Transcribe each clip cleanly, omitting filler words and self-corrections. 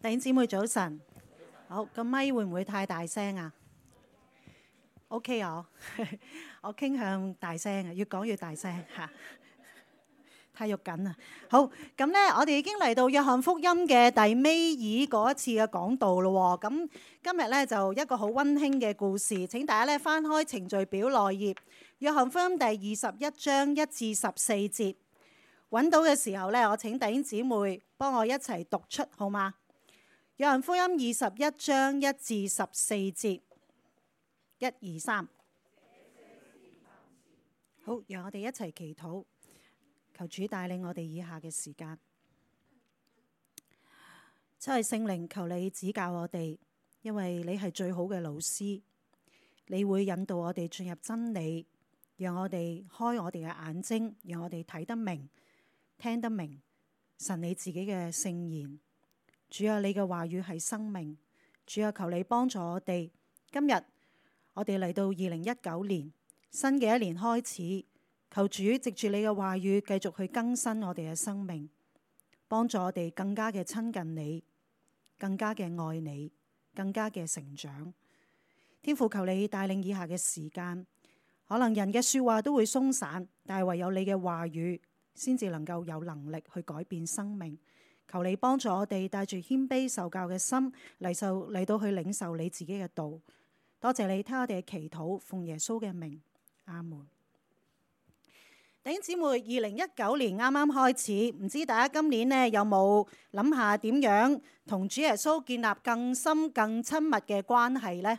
弟兄姊妹早晨，好，個咪會唔會太大聲啊？OK 啊，我傾向大聲啊，越講越大聲嚇，太肉緊啦。好，咁咧，我哋已經嚟到約翰福音嘅第尾嗰一次嘅講道咯。咁今日咧就一個好溫馨嘅故事，請大家咧翻開程序表內頁，約翰福音第21章1至14節，揾到嘅時候咧，我請弟兄姊妹幫我一齊讀出，好嗎？約翰福音21章1至14節，1、2、3。好，讓我哋一齊祈禱，求主帶領我哋以下嘅時間。七位聖靈，求你指教我哋，因為你係最好嘅老師，你會引導我哋進入真理，讓我哋開我哋嘅眼睛，讓我哋睇得明、聽得明神你自己嘅聖言。主啊，你嘅話語係生命。主啊，求你幫助我哋。今日我哋嚟到2019年新嘅一年開始，求主藉住你嘅話語繼續去更新我哋嘅生命，幫助我哋更加嘅親近你，更加嘅愛你，更加嘅成長。天父，求你帶領以下嘅時間，可能人嘅說話都會鬆散，但係唯有你嘅話語先至能夠有能力去改變生命。求你幫助我哋帶住謙卑受教嘅心嚟到去領受你自己嘅道。多謝你聽我哋嘅祈禱，奉耶穌嘅名，阿門。弟兄姊妹，2019年啱啱開始，唔知大家今年呢有冇諗下點樣同主耶穌建立更深更親密嘅關係呢？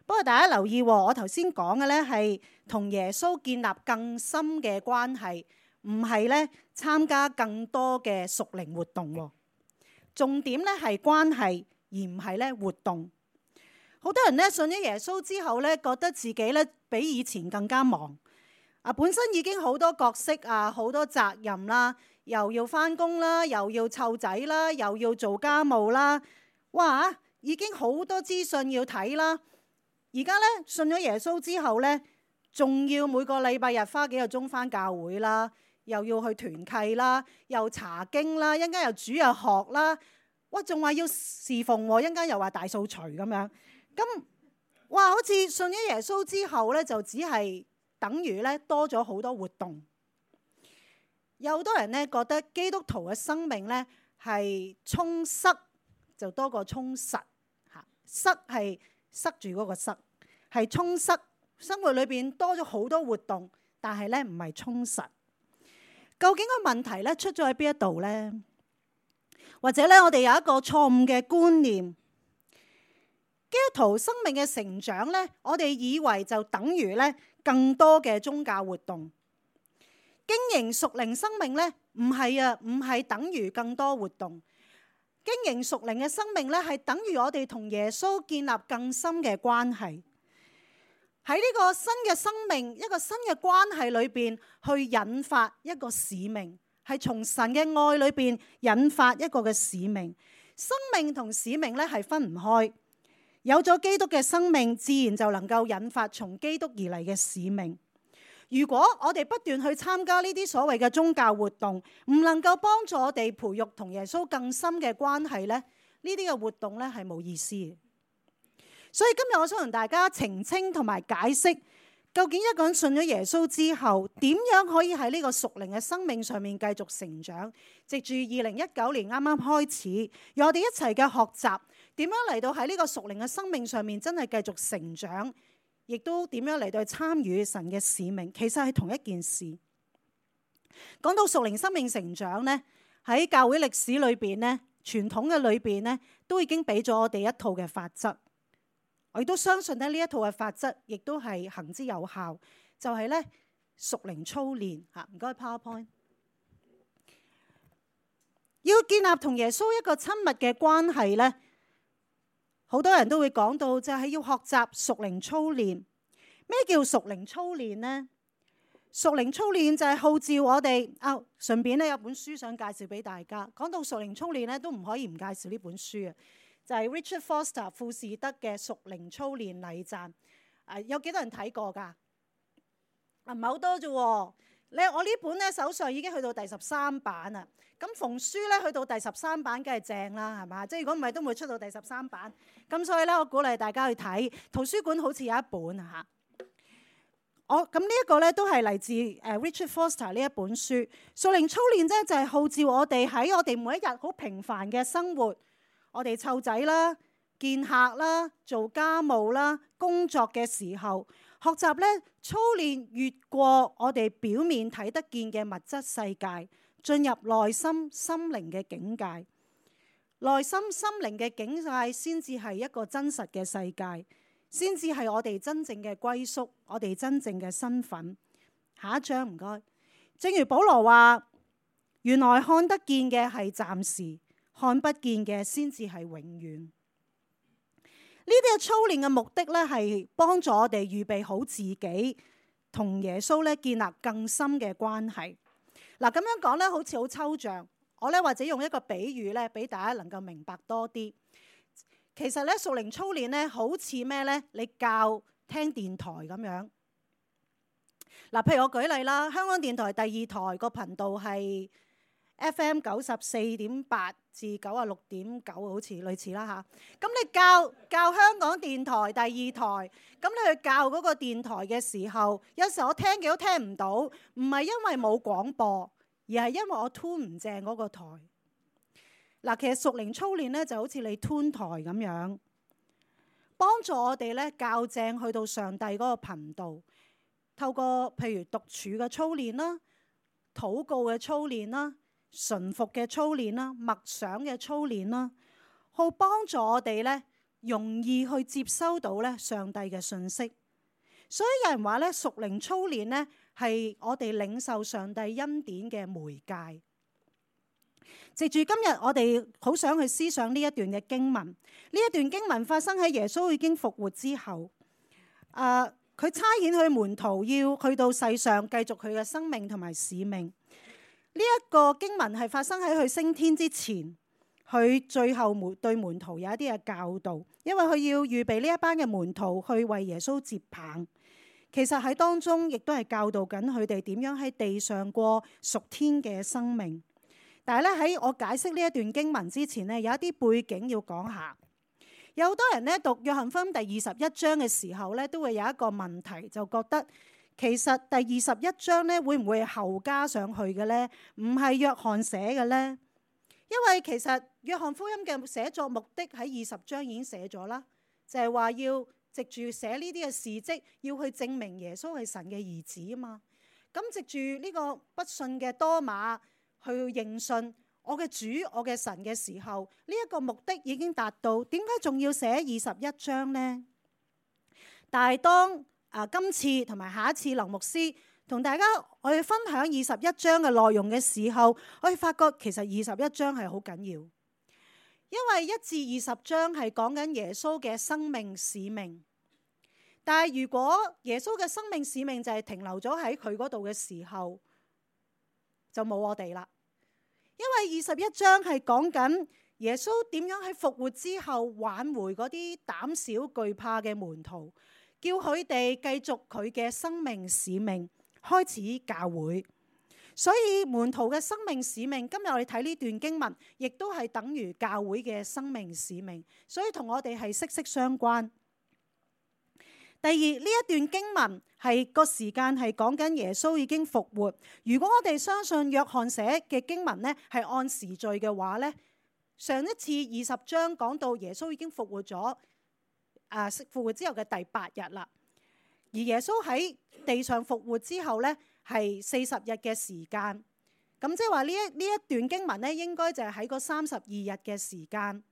不過大家留意，我頭先講嘅呢係同耶穌建立更深嘅關係，唔係咧參加更多嘅屬靈活動，重點咧係關係，而唔係咧活動。好多人咧信咗耶穌之後咧，覺得自己咧比以前更加忙啊！本身已經好多角色啊，好多責任啦，又要返工啦，又要湊仔啦，又要做家務啦，哇！已經好多資訊要睇啦。而家咧信咗耶穌之後咧，仲要每個禮拜日花幾個鐘返教會啦。又要去團契啦，又查經啦，一陣間又主日學啦，哇！仲話要侍奉，一陣間又話大掃除咁樣，咁哇！好似信咗耶穌之後咧，就只係等於咧多咗好多活動。有好多人咧覺得基督徒嘅生命咧係充塞就多過充實嚇，塞係塞住嗰個塞，係充塞。生活裏邊多咗好多活動，但係咧唔係充實。究竟個問題咧出咗喺邊一度呢？或者咧，我哋有一個錯誤嘅觀念，基督徒生命嘅成長咧，我哋以為就等於咧更多嘅宗教活動。經營屬靈生命咧，唔係啊，唔係等於更多活動。經營屬靈嘅生命咧，係等於我哋同耶穌建立更深嘅關係。喺呢個新嘅生命，一個新嘅關係裏邊，去引發一個使命，係從神嘅愛裏邊引發一個嘅使命。生命同使命咧係分唔開。有咗基督嘅生命，自然就能夠引發從基督而嚟嘅使命。如果我哋不斷去參加呢啲所謂嘅宗教活動，唔能夠幫助我哋培育同耶穌更深嘅關係咧，呢啲嘅活動咧係冇意思嘅。所以今日我想同大家澄清同埋解釋，究竟一個人信咗耶穌之後，點樣可以喺呢個屬靈嘅生命上面繼續成長？藉住2019年啱啱開始，讓我哋一齊嘅學習，點樣嚟到喺呢個屬靈嘅生命上面真係繼續成長，亦都點樣嚟到去參與神嘅使命。其實係同一件事。講到屬靈生命成長呢，喺教會歷史裏邊呢，傳統嘅裏邊呢，都已經俾咗我哋一套嘅法則。我亦都相信咧呢一套嘅法則，亦都係行之有效，就係咧屬靈操練嚇。唔該 PowerPoint。要建立同耶穌一個親密嘅關係咧，好多人都會講到就係要學習屬靈操練。咩叫屬靈操練呢？屬靈操練就係號召我哋順便咧有本書想介紹俾大家。講到屬靈操練咧，都唔可以唔介紹呢本書啊。就係 Richard Foster 富士德嘅屬靈操練禮讚。有幾多人睇過㗎？唔係好多啫喎。我呢本咧手上已經去到第13版啦。咁逢書咧去到第13版，梗係正啦，係嘛？即係如果唔係，都唔會出到第13版。咁所以咧，我鼓勵大家去睇圖書館，好似有一本啊嚇。咁呢一個咧都係嚟自Richard Foster 呢一本書。屬靈操練咧就係號召我哋喺我哋每一日好平凡嘅生活，我哋湊仔啦、見客啦、做家務啦、工作嘅時候，學習咧操練越過我哋表面睇得見嘅物質世界，進入內心心靈嘅境界。內心心靈嘅境界先至係一個真實嘅世界，先至係我哋真正嘅歸宿，我哋真正嘅身份。下一章唔該。正如保羅話，原來看得見嘅係暫時，看不見嘅先至係永遠。呢啲嘅操練嘅目的咧，係幫助我哋預備好自己同耶穌咧建立更深嘅關係。嗱，咁樣講咧，好似好抽象。我咧或者用一個比喻咧，俾大家能夠明白多啲。其實咧，屬靈操練咧，好似咩咧？你教聽電台咁樣。嗱，譬如我舉例啦，香港電台第2台個頻道係 FM 94.8至96.9，好似類似啦嚇。咁你教香港電台第2台，咁你去教嗰個電台嘅時候，有時我聽幾都聽唔到，唔係因為冇廣播，而係因為我 tune 唔正嗰個台。嗱，其實屬靈操練咧就好似你 tune 台咁樣，幫助我哋咧校正去到上帝嗰個頻道。透過譬如獨處嘅操練啦、禱告嘅操練啦、順服嘅操練啦、默想嘅操練啦，好幫助我哋咧容易去接收到咧上帝嘅信息。所以有人話咧，屬靈操練咧係我哋領受上帝恩典嘅媒介。藉住今日我哋好想去思想呢一段嘅經文。呢一段經文發生喺耶穌已經復活之後。佢差遣佢門徒要去到世上繼續佢嘅生命同埋使命。呢一個經文係發生喺佢升天之前，佢最後對門徒有一啲嘅教導，因為佢要預備呢一班嘅門徒去為耶穌接棒。其實喺當中亦都係教導緊佢哋點樣喺地上過屬天嘅生命。但係咧，喺我解釋呢一段經文之前呢，有一啲背景要講下。有好多人咧讀約翰福音第21章嘅時候咧，都會有一個問題，就覺得其實第21章咧會唔會係後加上去嘅咧？唔係約翰寫嘅咧？因為其實約翰福音嘅寫作目的喺20章已經寫咗啦，就係話要藉住寫呢啲嘅事蹟，要去證明耶穌係神嘅兒子啊嘛。咁藉住呢個不信嘅多馬去認信我嘅主，我嘅神嘅時候，呢一個目的已經達到，點解仲要寫21章呢？但係當今次同埋下一次林牧師同大家我哋分享21章嘅內容嘅時候，我哋發覺其實21章係好緊要，因為1至20章係講緊耶穌嘅生命使命。但係如果耶穌嘅生命使命就係停留咗喺佢嗰度嘅時候，就冇我哋啦。因為21章係講緊耶穌點樣喺復活之後挽回嗰啲膽小懼怕嘅門徒，叫佢哋繼續佢嘅生命使命，開始教會。所以門徒嘅生命使命，今日我哋睇呢段經文，亦都係等於教會嘅生命使命，所以同我哋係息息相關。第二，呢一段經文係個時間係講緊耶穌已經復活。如果我哋相信約翰寫嘅經文呢係按時序嘅話呢，上一次20章講到耶穌已經復活咗，復活之後嘅第8日啦。而耶穌喺地上復活之後呢係40日嘅時間。咁即係話呢一段經文呢應該就係喺嗰32日嘅時間，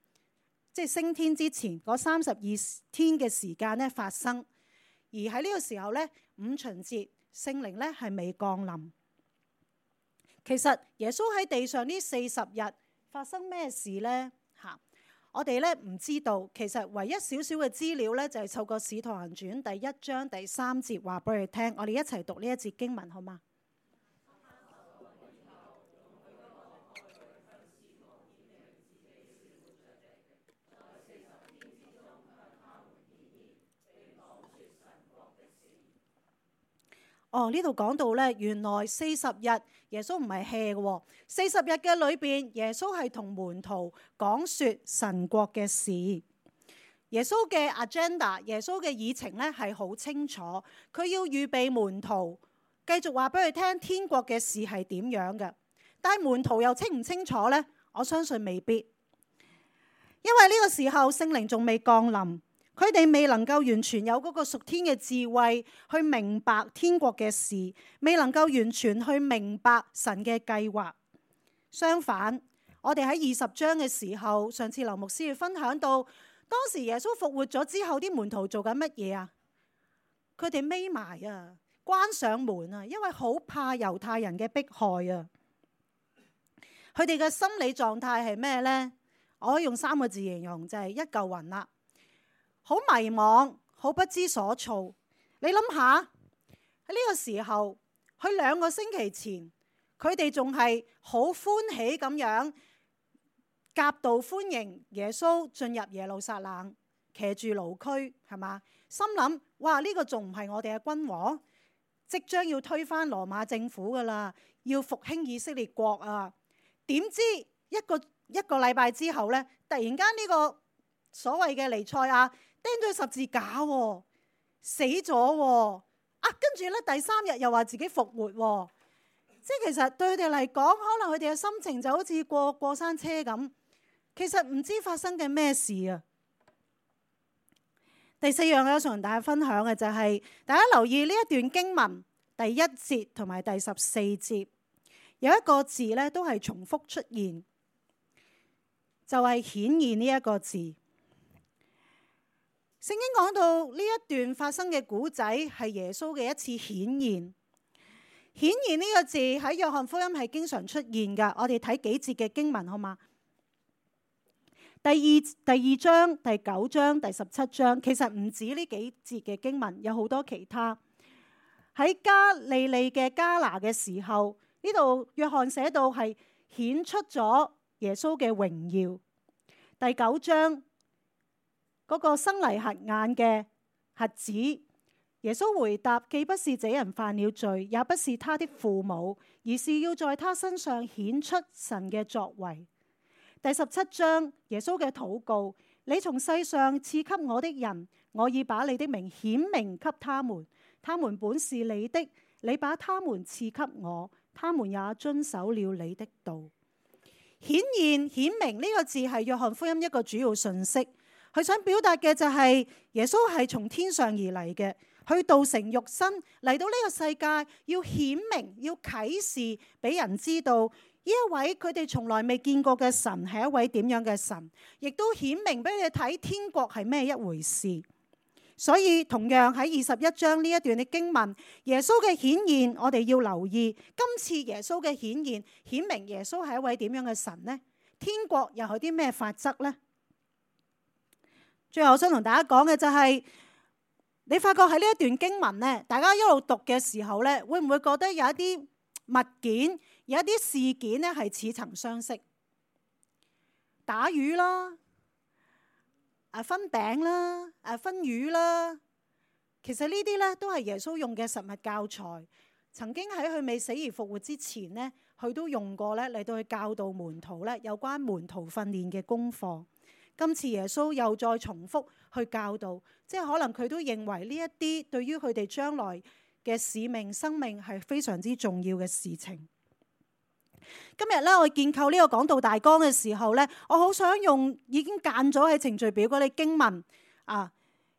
即係升天之前嗰32天嘅時間呢發生。而喺呢個時候咧，五旬節聖靈咧係未降臨。其實耶穌喺地上呢40日發生咩事咧？我哋咧唔知道。其實唯一少少嘅資料咧，就係透過《使徒行傳》第1章第3節話俾佢聽。我哋一齊讀呢一節經文好嗎？呢度講到咧，原來40日耶穌唔係 hea 嘅，40日嘅裏邊，耶穌係同門徒講說神國嘅事。耶穌嘅 agenda， 耶穌嘅議程咧係好清楚，佢要預備門徒，繼續話俾佢聽天國嘅事係點樣嘅。但係門徒又清唔清楚呢？我相信未必，因為呢個時候聖靈仲未降臨，佢哋未能夠完全有嗰個屬天嘅智慧去明白天國嘅事，未能夠完全去明白神嘅計劃。相反，我哋喺20章嘅時候，上次劉牧師分享到，當時耶穌復活咗之後，啲門徒做緊乜嘢啊？佢哋匿埋啊，關上門啊，因為好怕猶太人嘅迫害啊。佢哋嘅心理狀態係咩呢？我可以用3個字形容，就係一嚿雲啦，好迷茫，好不知所措。你諗下喺呢個時候，佢2個星期前，佢哋仲係好歡喜咁樣夾道歡迎耶穌進入耶路撒冷，騎住驢駒，係嘛？心諗哇，呢個仲唔係我哋嘅君王？即將要推翻羅馬政府噶啦，要復興以色列國啊！點知一個禮拜之後呢，突然間呢個所謂嘅彌賽亞釘咗十字架，死咗，跟住呢，第3日又話自己復活，即係其實對佢哋嚟講，可能佢哋嘅心情就好似過山車咁，其實唔知發生緊咩事啊！第4樣我想同大家分享嘅就係，大家留意呢一段經文第1節同埋第14節。有一個字咧，都係重複出現，就係顯現呢一個字。聖經講到呢一段發生嘅古仔係耶穌嘅一次顯現。顯現呢個字喺約翰福音係經常出現噶。我哋睇幾節嘅經文好嗎？第二章、第9章、第17章，其實唔止呢幾節嘅經文，有好多其他。喺加利利嘅加拿嘅時候，呢度約翰寫到係顯出咗耶穌嘅榮耀。第9章嗰個生嚟瞎眼嘅瞎子，耶穌回答：既不是這人犯了罪，也不是他的父母，而是要在他身上顯出神嘅作為。第17章耶穌嘅禱告：你從世上賜給我的人，我已把你的名顯明給他們，他們本是你的，你把他們賜給我，他們也遵守了你的道。顯現、顯明呢個字係約翰福音一個主要信息，佢想表達嘅就係耶穌係從天上而嚟嘅，去道成肉身嚟到呢個世界，要顯明、要啟示俾人知道呢一位佢哋從來未見過嘅神係一位點樣嘅神，亦都顯明俾你哋睇天國係咩一回事。所以同樣喺21章呢一段嘅經文，耶穌嘅顯現，我哋要留意今次耶穌嘅顯現，顯明耶穌係一位點樣嘅神呢？天國又有啲咩法則呢？最後我想同大家講嘅就係，你發覺喺呢一段經文呢，大家一路讀嘅時候呢，會唔會覺得有一啲物件，有一啲事件呢係似曾相識？打魚啦，分餅啦，分魚啦，其實呢啲咧都係耶穌用嘅實物教材。曾經喺佢未死而復活之前呢，佢都用過咧嚟到去教導門徒咧有關門徒訓練嘅功課。今次耶穌又再重複去教導，即係可能佢都認為呢一啲對於佢哋將來嘅使命、生命係非常之重要嘅事情。今日咧，我建構呢個講道大綱嘅時候咧，我好想用已經間咗喺程序表嗰啲經文啊。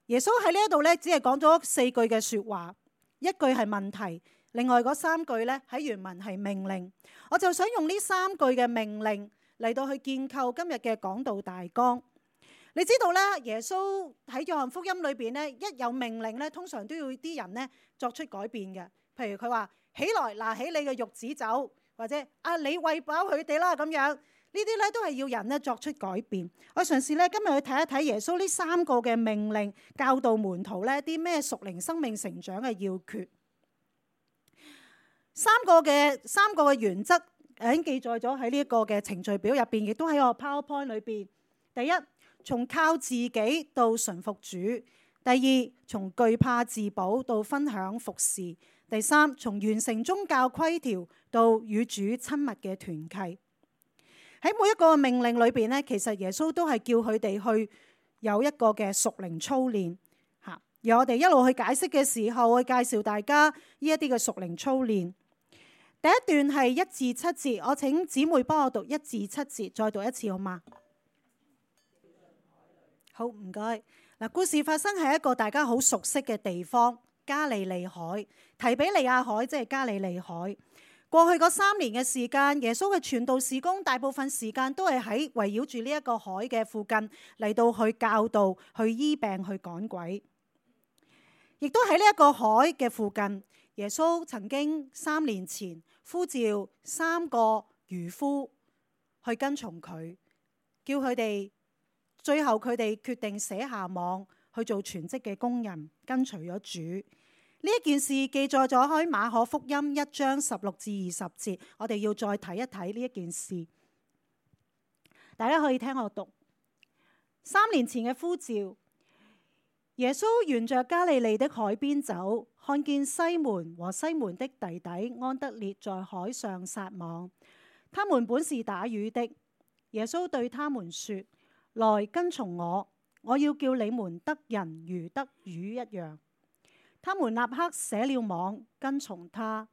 耶穌喺呢一度咧，只係講咗4句嘅說話，一句係問題，另外嗰3句咧喺原文係命令。我就想用呢3句嘅命令嚟到去建構今日嘅講道大綱。你知道咧，耶穌喺約翰福音裏邊咧，一有命令咧，通常都要啲人咧作出改變嘅。譬如佢話起來，拿起你嘅褥子走。或者你餵飽佢哋啦，咁樣呢啲咧都係要人咧作出改變。我嘗試咧今日去睇一睇耶穌呢3個嘅命令，教導門徒咧啲咩屬靈生命成長嘅要訣。三個嘅原則已經記載咗喺呢一個嘅程序表入邊，亦都喺我 PowerPoint 裏邊。第一，從靠自己到順服主；第第二，從懼怕自保到分享服侍；第三，從完成宗教規條到與主親密嘅團契。喺每一個命令裏邊咧，其實耶穌都係叫佢哋去有一個嘅屬靈操練嚇。而我哋一路去解釋嘅時候，會介紹大家呢一啲嘅屬靈操練。第一段係1至7節，我請姊妹幫我讀1至7節，再讀一次好嗎？好，唔該。嗱，故事發生喺一個大家好熟悉嘅地方——加利利海。提比利亞海即係加利利海。過去嗰3年嘅時間，耶穌嘅傳道事工大部分時間都係喺圍繞住呢一個海嘅附近嚟到去教導、去醫病、去趕鬼。亦都喺呢一個海嘅附近，耶穌曾經3年前呼召3個漁夫去跟從佢，叫佢哋，最後佢哋決定捨下網去做全職嘅工人，跟隨咗主。呢一件事記載咗喺馬可福音1章16至20節，我哋要再睇一睇呢一件事。大家可以聽我讀。3年前嘅呼召，耶穌沿着加利利的海邊走，看見西門和西門的弟弟安德烈在海上撒網，他們本是打魚的。耶穌對他們說：來跟從我，我要叫你們得人如得魚一樣。他們立刻捨了網，跟從他。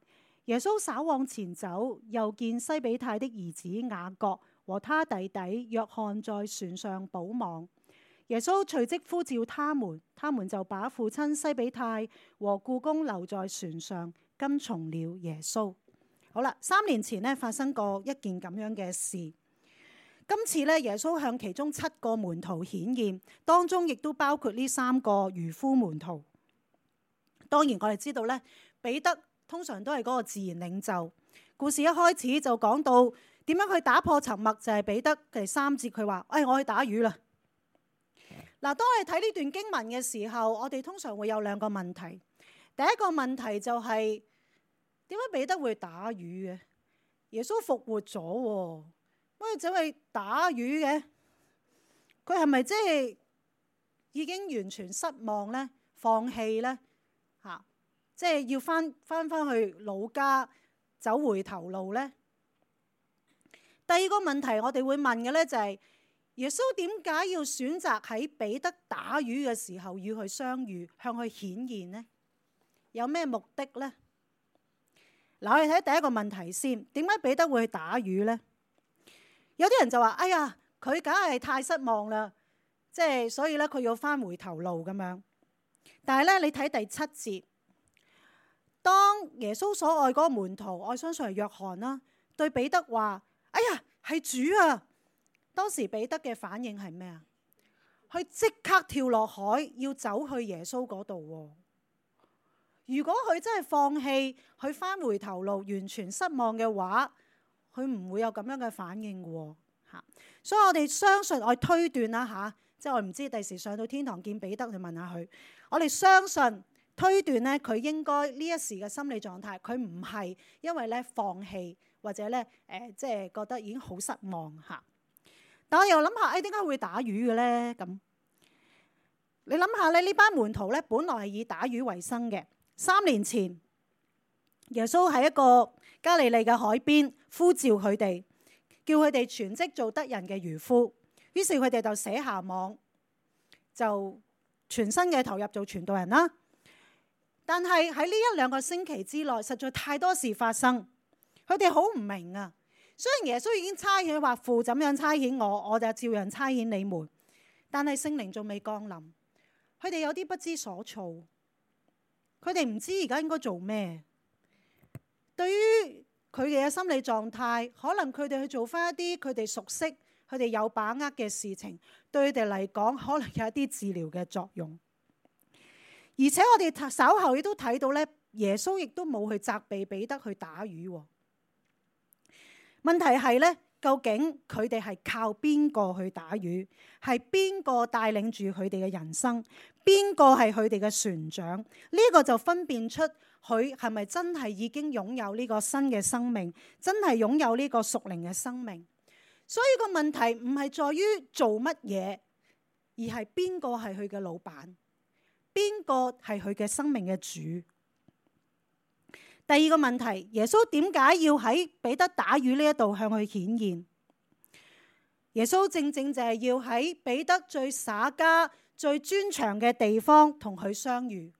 耶穌稍往前走，又見西比泰的兒子雅各和他弟弟約翰在船上補網。耶穌隨即呼召他們，他們就把父親西比泰和僱工留在船上，跟從了耶穌。好啦，3年前呢發生過一件咁樣嘅事。今次呢，耶穌向其中7個門徒顯現，當中亦都包括呢3個漁夫門徒。當然我哋知道咧，彼得通常都係嗰個自然領袖。故事一開始就講到點樣去打破沉默，就係彼得第3節佢話：我去打魚啦。嗱，當我哋睇呢段經文嘅時候，我哋通常會有2個問題。第一個問題就係點解彼得會打魚嘅？耶穌復活咗，乜嘢走去打魚嘅？佢係咪即係已經完全失望咧？放棄咧？即係要翻去老家走回頭路呢？第二個問題我哋會問嘅呢，就係耶穌點解要選擇喺彼得打魚嘅時候與佢相遇，向佢顯現呢？有咩目的呢？嗱，我哋睇第一個問題先，點解彼得會去打魚呢？有啲人就話：佢梗係太失望啦，即係所以咧佢要翻回頭路咁樣。但係咧，你睇第7節。當耶穌所愛嗰個門徒，我相信係約翰啦，對彼得話：係主啊！當時彼得嘅反應係咩啊？佢即刻跳落海，要走去耶穌嗰度。如果佢真係放棄，佢翻回頭路，完全失望嘅話，佢唔會有咁樣嘅反應嘅。所以我哋相信，我推斷啦即係我唔知第時上到天堂見彼得去問下佢，我哋相信。推斷咧，佢應該呢一時嘅心理狀態，佢唔係因為咧放棄或者咧即係覺得已經好失望嚇。但我又諗下，點解會打魚嘅咧？咁你諗下咧，呢班門徒咧，本來係以打魚為生嘅。3年前，耶穌喺一個加利利嘅海邊呼召佢哋，叫佢哋全職做得人嘅漁夫。於是佢哋就捨下網，就全身嘅投入做傳道人啦。但係喺呢1-2個星期之內，實在太多事發生，佢哋好唔明啊。雖然耶穌已經差遣話父怎樣差遣我，我就照樣差遣你們，但係聖靈仲未降臨，佢哋有啲不知所措，佢哋唔知而家應該做咩。對於佢哋嘅心理狀態，可能佢哋去做翻一啲佢哋熟悉、佢哋有把握嘅事情，對佢哋嚟講，可能有一啲治療嘅作用。而且我哋稍後亦都睇到咧，耶穌亦都冇去責備彼得去打魚。問題係咧，究竟佢哋係靠邊個去打魚？係邊個帶領住佢哋嘅人生？邊個係佢哋嘅船長？呢個就分辨出佢係咪真係已經擁有呢個新嘅生命，真係擁有呢個屬靈嘅生命。所以個問題唔係在於做乜嘢，而係邊個係佢嘅老闆。邊個係佢嘅生命嘅主。第二個問題，耶穌點解要喺彼得打魚呢一度向佢顯現？耶穌正正就係要喺彼得最耍家、最專長嘅地方同佢相遇，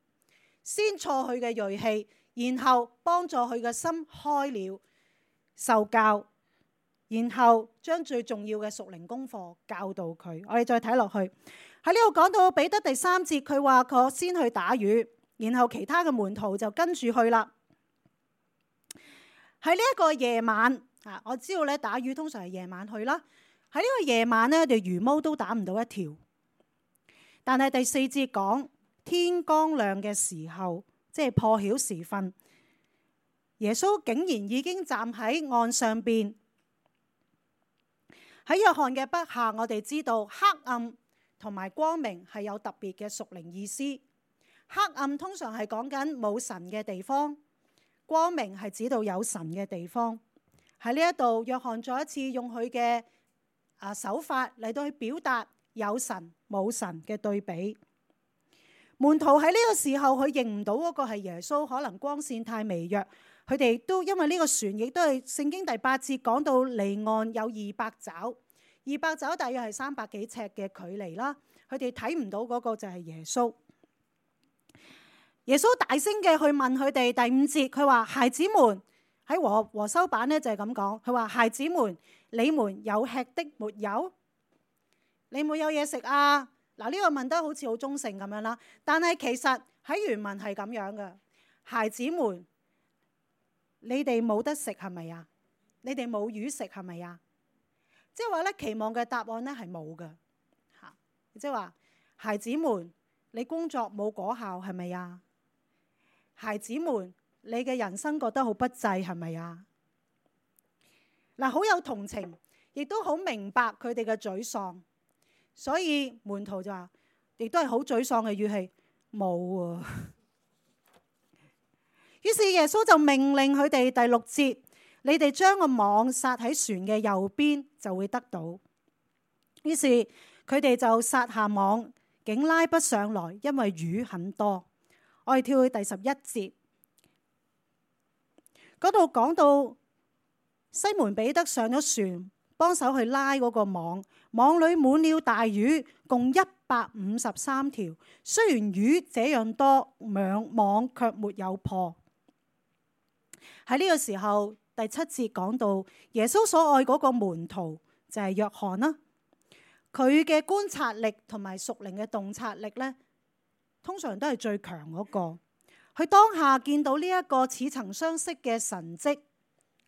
先挫佢嘅銳氣，然後幫助佢嘅心開了，受教，然後將最重要嘅屬靈功課教導佢。我哋再睇落去，喺呢度講到彼得第3節，佢話佢先去打魚，然後其他嘅門徒就跟住去啦。喺呢一個夜晚，我知道咧打魚通常係夜晚去啦。喺呢個夜晚咧，條魚毛都打唔到一條。但係第4節講天剛亮嘅時候，即係破曉時分，耶穌竟然已經站喺岸上邊。喺約翰嘅筆下，我哋知道黑暗同埋光明係有特別嘅屬靈意思。黑暗通常係講緊冇神嘅地方，光明係指到有神嘅地方。喺呢一度，約翰再一次用佢嘅手法嚟到去表達有神冇神嘅對比。門徒喺呢個時候，佢認唔到嗰個係耶穌，可能光線太微弱。佢哋都因為呢個船亦都係聖經第8節講到離岸有200肘，200肘大約係300幾尺嘅距離啦。佢哋睇唔到嗰個就係耶穌。耶穌大聲嘅去問佢哋，第5節佢話：孩子們，喺和修版咧就係咁講，佢話：孩子們，你們有吃的沒有？你冇有嘢食啊？嗱，呢個問得好似好中性咁樣啦，但係其實喺原文係咁樣嘅。孩子們，你哋冇得食係咪啊？你哋冇魚食係咪啊？即係話咧，期望嘅答案咧係冇嘅嚇。即係話，孩子們，你工作冇果效係咪啊？孩子們，你嘅人生覺得好不濟係咪啊？嗱，好有同情，亦都好明白佢哋嘅沮喪。所以門徒就話，亦都係好沮喪嘅語氣，冇啊。於是耶穌就命令佢哋，第6節，你哋將個網撒喺船嘅右邊，就會得到。於是佢哋就撒下網，竟拉不上來，因為魚很多。我哋跳去第11節，嗰度講到西門彼得上咗船，幫手去拉嗰個網，網裏滿了大魚，共153條。雖然魚這樣多，網卻沒有破。喺呢個時候，第7節講到耶穌所愛嗰個門徒就係約翰啦。佢嘅觀察力同埋屬靈嘅洞察力呢，通常都係最強嗰個。佢當下見到呢一個似曾相識嘅神蹟，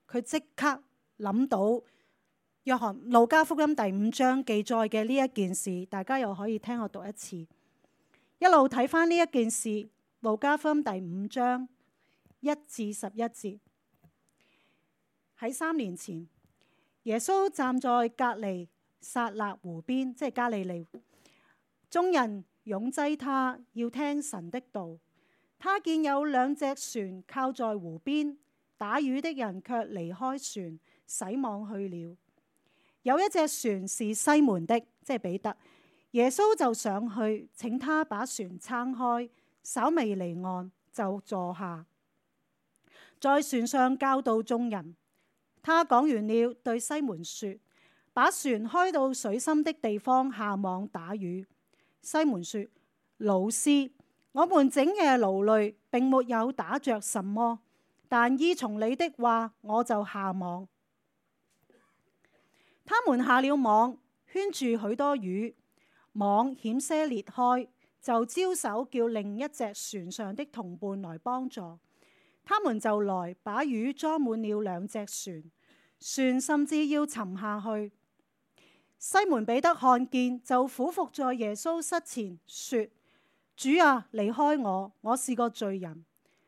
佢即刻諗到約翰路加福音第5章記載嘅呢一件事。大家又可以聽我讀一次，一路睇翻呢一件事。路加福音第5章1至11節。喺3年前，耶穌站在革尼撒勒湖邊，即係加利利，眾人擁擠他，要聽神的道。他見有2隻船靠在湖邊，打魚的人卻離開船，洗網去了。有一隻船是西門的，即係彼得。耶穌就上去，請他把船撐開，稍微離岸就坐下，在船上教導眾人。他講完了，對西門說：把船開到水深的地方，下網打魚。西門說：老師，我們整夜勞累，並沒有打着什麼，但依從你的話，我就下網。他們下了網，圈住許多魚，網險些裂開，就招手叫另一隻船上的同伴來幫助。他們就來把魚裝滿了2隻船，船甚至要沉下去。西門彼得看見，就俯伏在耶穌膝前說：主啊，離開我，我是個罪人。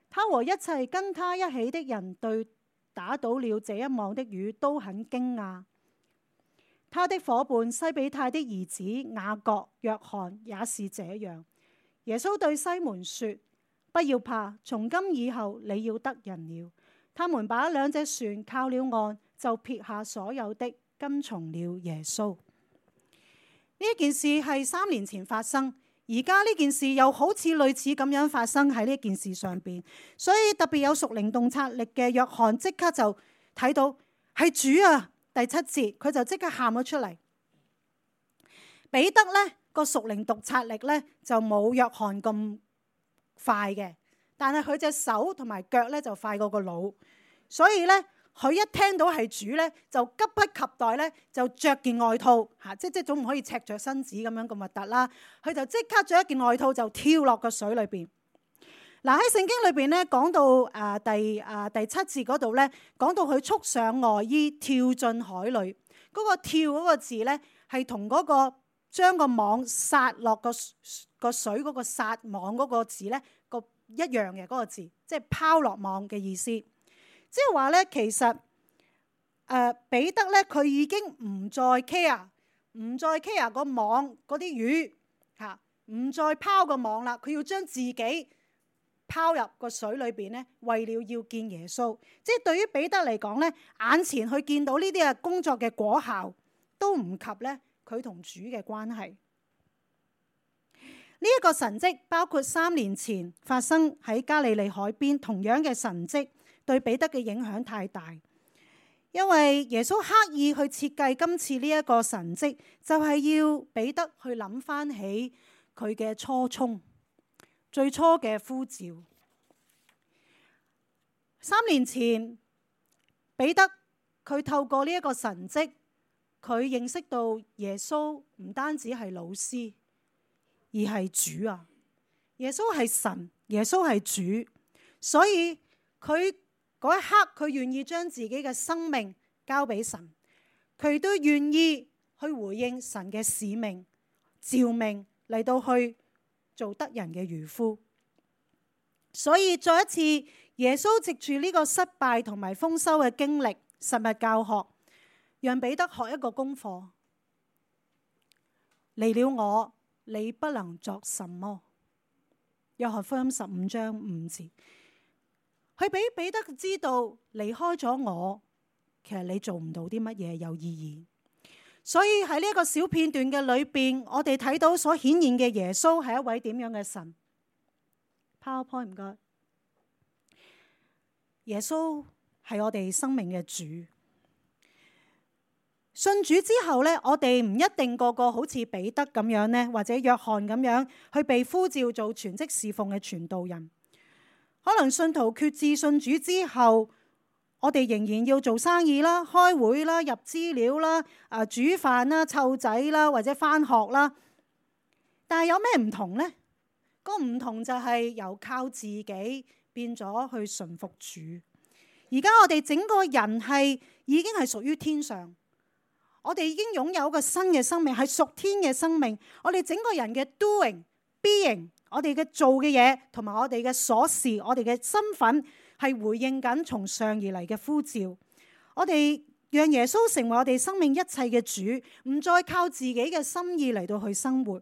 他和一切跟他一起的人對打倒了這一網的魚都很驚訝。他的夥伴西比泰的兒子雅各、約翰也是這樣。耶穌對西門說：不要怕，從今以後你要得人了。他們把2隻船靠了岸，就撇下所有的，跟從了耶穌。呢件事係3年前發生，而家呢件事又好似類似咁樣發生喺呢件事上邊，所以特別有屬靈洞察力嘅約翰即刻就睇到係主啊！第7節佢就即刻喊咗出嚟。彼得呢個屬靈洞察力呢就冇約翰咁快嘅，但係佢隻手同埋腳呢就快過個腦，所以呢，佢一聽到係主呢，就急不及待呢，就着件外套嚇，即總唔可以赤着身子咁樣咁核突啦。佢就即刻着一件外套就跳落個水裏邊。嗱，喺聖經裏邊咧講到第7節嗰度咧，講到佢束上外衣跳進海裏，嗰個跳嗰個字咧係同嗰個將個網撒落個水嗰個撒網嗰個字咧個一樣嘅嗰個字，即係拋落網嘅意思。即係話咧，其實彼得咧佢已經唔再 care 個網嗰啲魚嚇，唔再拋個網啦，佢要將自己拋入個水裏邊咧，為了要見耶穌。即係對於彼得嚟講咧，眼前去見到呢啲嘅工作嘅果效，都唔及咧佢同主嘅關係。呢一個神蹟包括3年前發生喺加利利海邊同樣嘅神蹟，對彼得嘅影響太大。因為耶穌刻意去設計今次呢一個神蹟，就係要彼得去諗翻起佢嘅初衷。最初嘅呼召，3年前彼得佢透過呢一個神蹟，佢認識到耶穌唔單止係老師，而係主啊！耶穌係神，耶穌係主，所以佢嗰一刻佢願意將自己嘅生命交俾神，佢都願意去回應神嘅使命、召命嚟到去做得人嘅漁夫。所以再一次，耶穌藉住呢個失敗同埋豐收嘅經歷，實物教學，讓彼得學一個功課。離了我，你不能作什麼。約翰福音15章5節，佢俾彼得知道，離開咗我，其實你做唔到啲乜嘢有意義。所以喺呢一個小片段嘅裏邊，我哋睇到所顯現嘅耶穌係一位點樣嘅神。PowerPoint 唔該。耶穌係我哋生命嘅主。信主之後呢，我哋唔一定個個好似彼得咁樣呢，或者約翰咁樣去被呼召做全職侍奉嘅傳道人。可能信徒決志信主之後，我哋仍然要做生意啦、開會啦、入資料啦、煮飯啦、湊仔啦，或者返學啦。但係有咩唔同呢？個唔同就係由靠自己變咗去順服主。而家我哋整個人已經係屬於天上，我哋已經擁有一個新嘅生命，係屬天嘅生命。我哋整個人嘅 doing、being， 我哋嘅做嘅嘢，同埋我哋嘅所事，我哋嘅身份係回應緊從上而嚟嘅呼召。我哋讓耶穌成為我哋生命一切嘅主，唔再靠自己嘅心意嚟到去生活，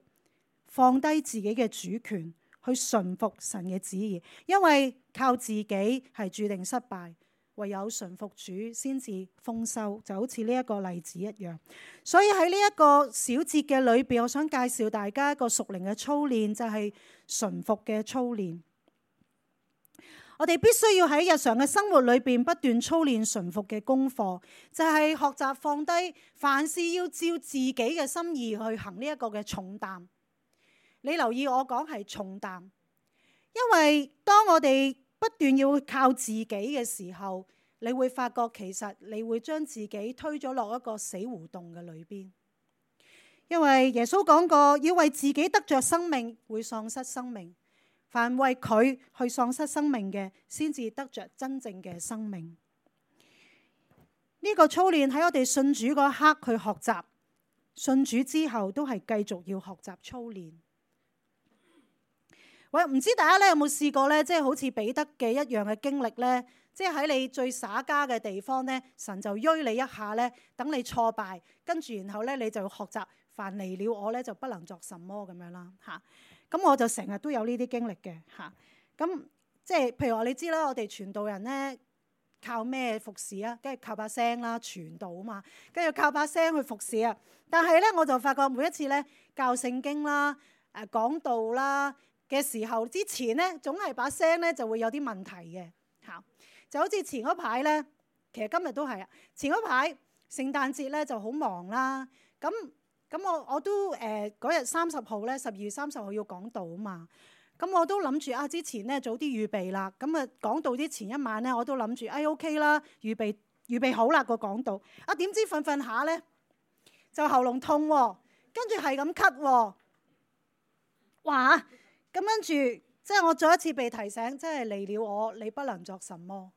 放低自己嘅主權，去順服神嘅旨意。因為靠自己係注定失敗，唯有順服主先至豐收，就好似呢一個例子一樣。所以喺呢一個小節嘅裏邊，我想介紹大家一個屬靈嘅操練，就係順服嘅操練。我哋必須要喺日常嘅生活裏邊不斷操練順服嘅功課，就係學習放低凡事要照自己嘅心意去行呢一個嘅重擔。你留意我講係重擔，因為當我哋不斷要靠自己嘅時候，你會發覺其實你會將自己推咗落一個死胡同嘅裏邊。因為耶穌講過，要為自己得着生命，會喪失生命。凡為佢去喪失生命嘅，先至得着真正嘅生命。呢個操練喺我哋信主嗰刻去學習，信主之後都係繼續要學習操練。喂，唔知大家咧有冇試過咧，即係好似彼得嘅一樣嘅經歷咧，即係喺你最耍家嘅地方咧，神就喐你一下咧，等你挫敗，跟住然後咧你就要學習，凡離了我咧就不能作什麼咁樣啦嚇。咁我就成日都有呢啲經歷嘅嚇。咁即係譬如話你知啦，我哋傳道人咧靠咩服侍啊？跟住靠把聲啦，傳道啊嘛，跟住靠把聲去服侍啊。但係咧我就發覺每一次咧教聖經啦。講道啦嘅時候，之前咧總係把聲咧就會有啲問題嘅嚇。就好似前嗰排咧，其實今日都係啊。前嗰排聖誕節咧就好忙啦。咁我都嗰日30號咧，12月30號要講道啊嘛。咁我都諗住之前咧早啲預備啦。咁講道之前一晚咧，我都諗住OK 啦，預備好啦個講道。點知瞓瞓下咧就喉嚨痛喎，跟住係咁咳喎。哇！咁跟住即係我再一次被提醒，真係離了我，你不能作什麼。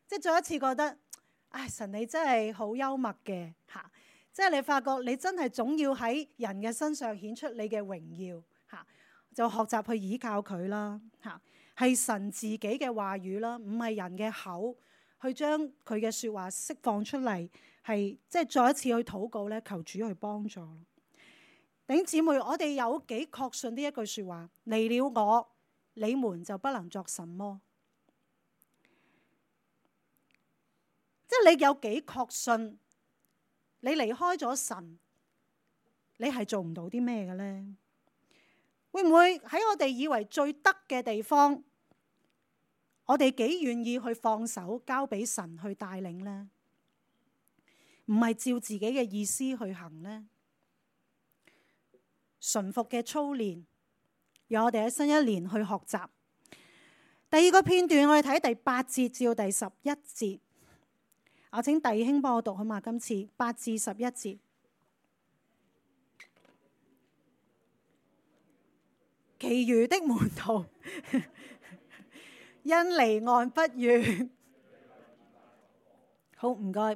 即係再一次覺得，神你真係好幽默嘅嚇。即係你發覺你真係總要喺人嘅身上顯出你嘅榮耀嚇，就學習去倚靠佢啦嚇，係神自己嘅話語啦，唔係人嘅口去將佢嘅説話釋放出嚟，係即係再一次去禱告咧，求主去幫助。弟兄姊妹，我哋有幾確信呢一句説話？離了我，你們就不能作什麼。即係你有幾確信？你離開咗神，你係做唔到啲咩嘅咧？會唔會喺我哋以為最得嘅地方，我哋幾願意去放手交俾神去帶領咧？唔係照自己嘅意思去行咧？順服嘅操練，讓我哋喺新一年去學習。第二個片段，我哋睇第8節至到第11節。我請弟兄幫我讀好嘛？今次8至11節，其餘的門徒因離岸不願。好，唔該。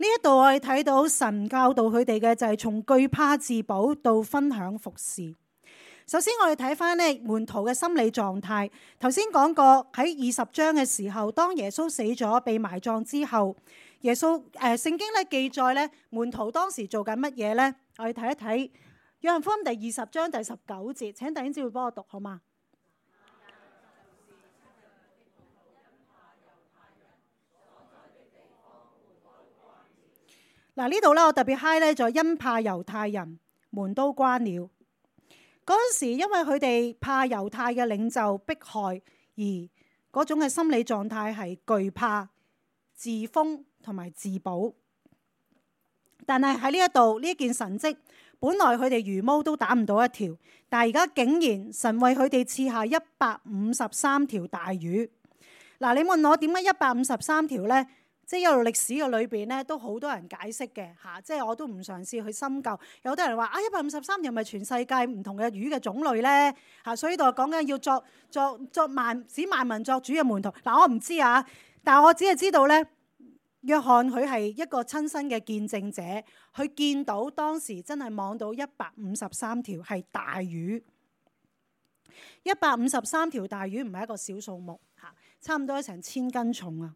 呢一度我哋睇到神教導佢哋嘅就係從懼怕自保到分享服侍。首先我哋睇翻咧門徒嘅心理狀態。頭先講過喺20章嘅時候，當耶穌死咗被埋葬之後，耶穌聖經咧記載咧門徒當時做緊乜嘢咧？我哋睇一睇約翰福音第20章第19節。請弟兄姊妹幫我讀好嗎？嗱，呢度咧我特別 high 咧，就因怕猶太人，門都關了。嗰陣時，因為佢哋怕猶太嘅領袖迫害，而嗰種嘅心理狀態係懼怕、自封同埋自保。但係喺呢一度呢件神蹟，本來佢哋魚毛都打唔到一條，但係而家竟然神為佢哋賜下153條大魚。嗱，你問我點解153條呢？即係一路歷史嘅裏邊咧，都好多人解釋嘅嚇。即係我都唔嘗試去深究。有啲人話153條咪全世界唔同嘅魚嘅種類咧嚇，所以呢度講緊要使萬民作主嘅門徒。嗱，我唔知啊，但係我只係知道咧，約翰佢係一個親身嘅見證者，佢見到當時真係望到153條係大魚。153條大魚唔係一個小數目嚇，差唔多成1000斤重啊！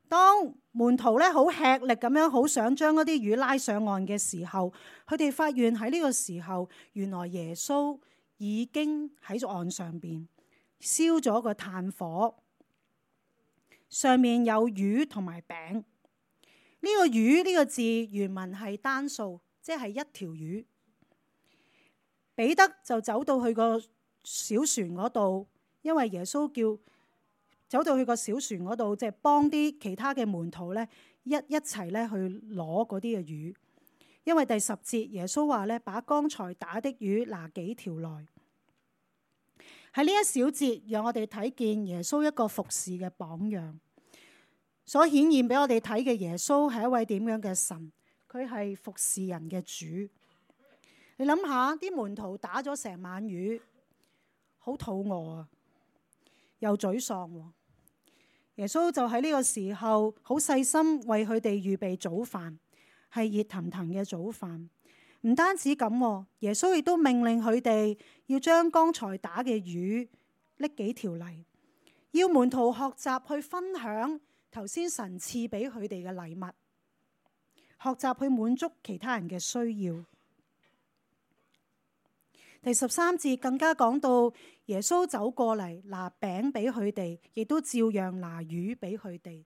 當門徒咧好吃力咁樣，好想將嗰啲魚拉上岸嘅時候，佢哋發現喺呢個時候，原來耶穌已經喺咗岸上邊燒咗個炭火，上面有魚同埋餅。呢個魚呢個字原文係單數，即係一條魚。彼得就走到去個小船嗰度，因為耶穌叫走到去個小船嗰度，即係幫啲其他嘅門徒咧一齊咧去攞嗰啲嘅魚。因為第10節耶穌話咧，把剛才打的魚拿幾條來。喺呢一小節，讓我哋睇見耶穌一個服侍嘅榜樣，所顯現俾我哋睇嘅耶穌係一位點樣嘅神？佢係服侍人嘅主。你諗下，啲門徒打咗成晚魚，好肚餓啊，又沮喪。耶穌就喺呢個時候好細心為佢哋預備早飯，係熱騰騰嘅早飯。唔單止咁，耶穌亦都命令佢哋要將剛才打嘅魚拎幾條嚟，要門徒學習去分享頭先神賜俾佢哋嘅禮物，學習去滿足其他人嘅需要。第13節更加講到耶穌走過嚟拿餅俾佢哋，亦都照樣拿魚俾佢哋。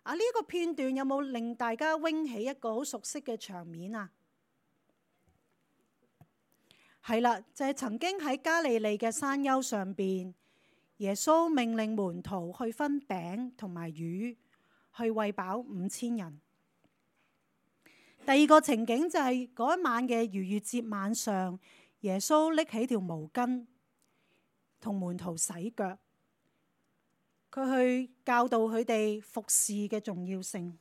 呢個片段有冇令大家拎起一個好熟悉嘅場面啊？係啦，就係曾經喺加利利嘅山丘上邊，耶穌命令門徒去分餅同埋魚，去餵飽5000人。第二個情景就係嗰一晚嘅逾越節晚上，耶穌拎起條毛巾同門徒洗腳，佢去教導佢哋服侍嘅重要性。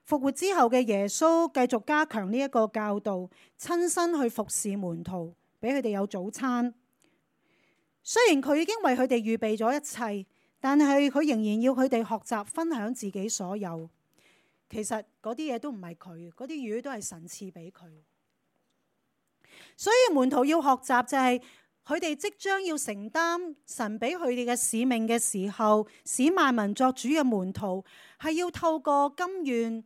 復活之後嘅耶穌繼續加強呢一個教導，親身去服侍門徒，俾佢哋有早餐。雖然佢已經為佢哋預備咗一切，但係佢仍然要佢哋學習分享自己所有。其實嗰啲嘢都唔係佢，嗰啲魚都係神賜俾佢。所以門徒要學習就係佢哋即將要承擔神俾佢哋嘅使命嘅時候，使萬民作主嘅門徒係要透過甘願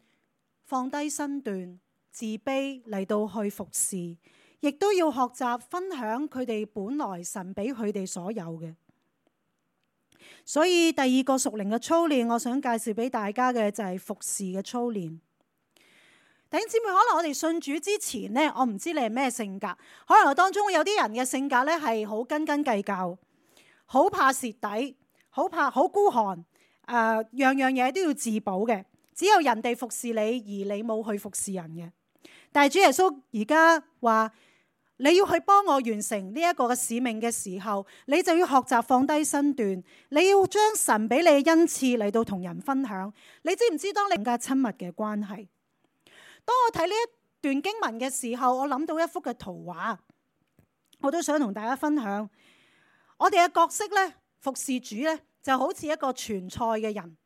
放低身段、自卑嚟到去服侍，亦都要學習分享佢哋本來神俾佢哋所有嘅。所以第二個屬靈嘅操練，我想介紹俾大家嘅就係服侍嘅操練。弟兄姊妹，可能我哋信主之前呢，我唔知你係咩性格，可能當中有啲人嘅性格呢係好斤斤計較，好怕蝕底，好孤寒，樣樣嘢都要自保嘅。只有人哋服侍你，而你冇去服侍人嘅。但係主耶穌而家話，你要去幫我完成呢一個嘅使命嘅時候，你就要學習放低身段，你要將神俾你嘅恩賜嚟到同人分享。你知唔知當你更加親密嘅關係？當我睇呢一段經文嘅時候，我諗到一幅嘅圖畫，我都想同大家分享。我哋嘅角色呢，服侍主呢，就好似一個傳菜嘅人。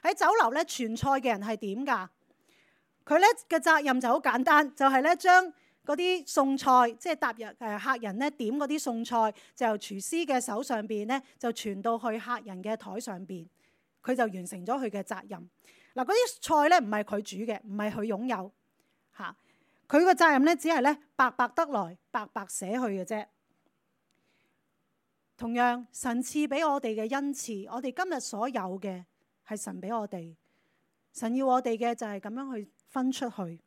喺酒樓咧，傳菜嘅人係點㗎？佢咧嘅責任就好簡單，就係咧將嗰啲餸菜，即係踏入客人咧點嗰啲餸菜，就由廚師嘅手上邊咧就傳到去客人嘅台上邊，佢就完成咗佢嘅責任。嗱，嗰啲菜咧唔係佢煮嘅，唔係佢擁有嚇，佢個責任咧只係咧白白得來，白白捨去嘅啫。同樣，神賜俾我哋嘅恩賜，我哋今日所有嘅，係神俾我哋，神要我哋嘅就係咁樣去分出去。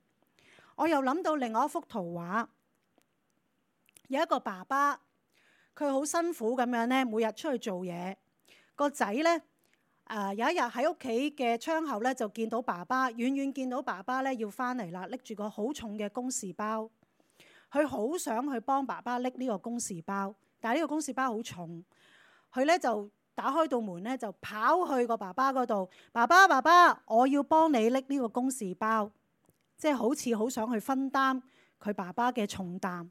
我又諗到另外一幅圖畫，有一個爸爸，佢好辛苦咁樣咧，每日出去做嘢。個仔咧，有一日喺屋企嘅窗口咧，就見到爸爸，遠遠見到爸爸咧要翻嚟啦，拎住個好重嘅公事包。佢好想去幫爸爸拎呢個公事包，但係呢個公事包好重，佢咧就打開道門咧，就跑去個爸爸嗰度。爸爸，我要幫你拎呢個公事包，即係好似好想去分擔佢爸爸嘅重擔。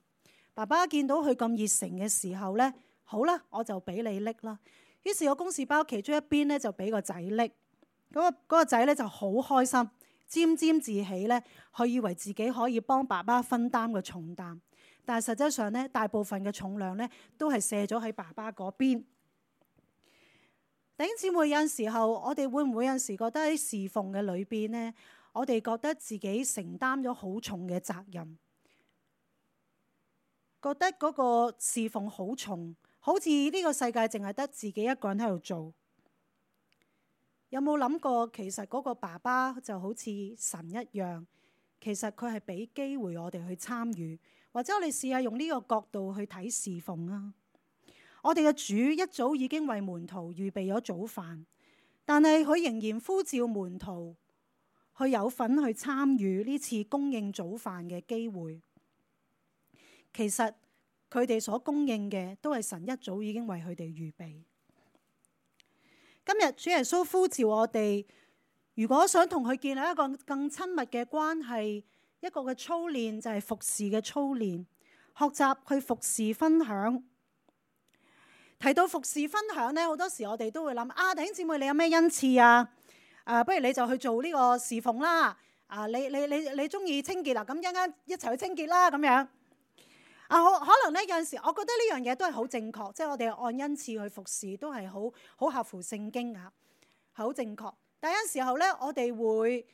爸爸見到佢咁熱誠嘅時候咧，好啦，我就俾你拎啦。於是個公事包其中一邊咧就俾個仔拎，嗰個仔咧就好開心，沾沾自喜咧，佢以為自己可以幫爸爸分擔個重擔，但係實際上咧，大部分嘅重量咧都係卸咗喺爸爸嗰邊。弟兄姊妹，有陣時候我哋會唔會有陣時覺得喺侍奉嘅裏邊呢，我哋覺得自己承擔咗好重嘅責任，覺得嗰個侍奉好重，好似呢個世界淨係得自己一個人喺度做。有冇諗過其實嗰個爸爸就好似神一樣，其實佢係俾機會我哋去參與，或者我哋試下用呢個角度去睇侍奉啊。我哋嘅主一早已經為門徒預備咗早飯，但係佢仍然呼召門徒去有份去參與呢次供應早飯嘅機會。其實佢哋所供應嘅都係神一早已經為佢哋預備。今日主耶穌呼召我哋，如果想同佢建立一個更親密嘅關係，一個嘅操練就係服侍嘅操練，學習去服侍分享。提到服侍分享呢，好多時我哋都會諗弟兄姊妹，你有咩恩賜啊？不如你就去做呢個侍奉啦。你中意清潔啦，咁一齊去清潔啦咁樣。可能呢，有陣時，我覺得呢樣嘢都係好正確，即係我哋按恩賜去服侍都係好合乎聖經啊，係好正確。但有陣時候呢，我哋會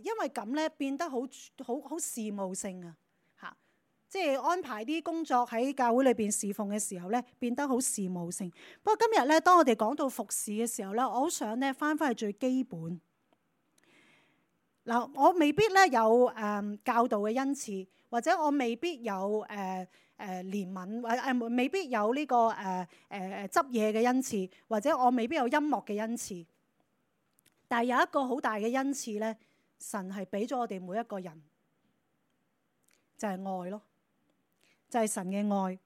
因為咁呢變得好事務性啊。即係安排啲工作喺教會裏邊侍奉嘅時候咧，變得好事務性。不過今日咧，當我哋講到服侍嘅時候咧，我好想咧翻返去最基本。嗱，我未必咧有教導嘅恩賜，或者我未必有憐憫，或未必有呢個執嘢嘅恩賜，或者我未必有音樂嘅恩賜。但係有一個好大嘅恩賜咧，神係俾咗我哋每一個人，就係愛咯，就係神嘅愛。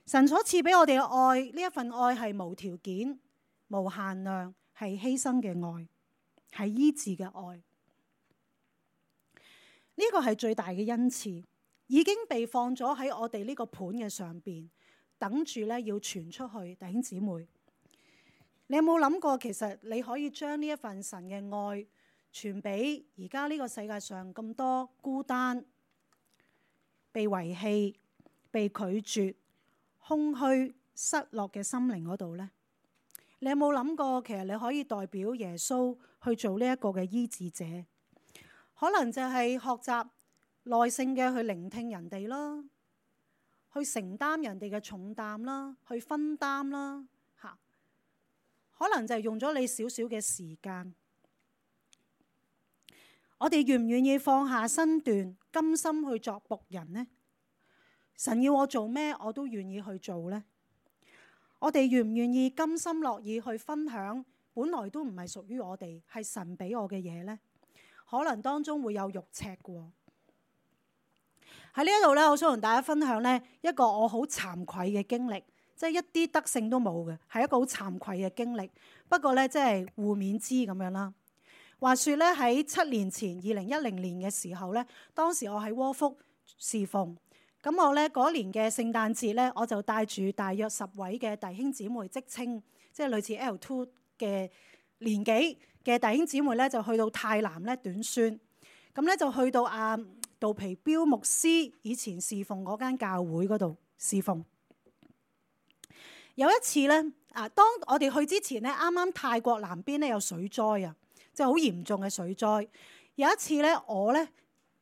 神所賜俾我哋嘅愛，呢一份愛係無條件、無限量，係犧牲嘅愛，係醫治嘅愛。呢個係最大嘅恩賜，已經被放咗喺我哋呢個盤嘅上邊，等住咧要傳出去。弟兄姊妹，你有冇諗過，其實你可以將呢一份神嘅愛傳俾而家呢個世界上咁多孤單、被遺棄、被拒絕、空虛、失落嘅心靈嗰度呢？你有冇諗過，其實你可以代表耶穌去做呢一個嘅醫治者？可能就係學習耐性嘅去聆聽人哋啦，去承擔人哋嘅重擔啦，去分擔啦，吓。可能就係用咗你少少嘅時間。我哋願唔願意放下身段，甘心去作僕人呢？神要我做咩，我都願意去做呢？我哋願唔願意甘心樂意去分享本來都唔係屬於我哋，係神俾我嘅嘢呢？可能當中會有肉赤嘅。喺呢一度咧，我想同大家分享咧一個我好慚愧嘅經歷，即係一啲德性都冇嘅，係一個好慚愧嘅經歷。不過咧，即係互勉之咁樣啦。話說咧，喺7年前2010年嘅時候咧，當時我喺窩福侍奉，咁我咧嗰年嘅聖誕節咧，我就帶住大約10位嘅弟兄姊妹，職青，即係類似 L2 嘅年紀嘅弟兄姊妹咧，就去到泰南咧短宣，咁咧就去到杜皮標牧師以前侍奉嗰間教會嗰度侍奉。有一次咧，當我哋去之前咧，啱啱泰國南邊咧有水災啊，即係好嚴重嘅水災。有一次咧，我咧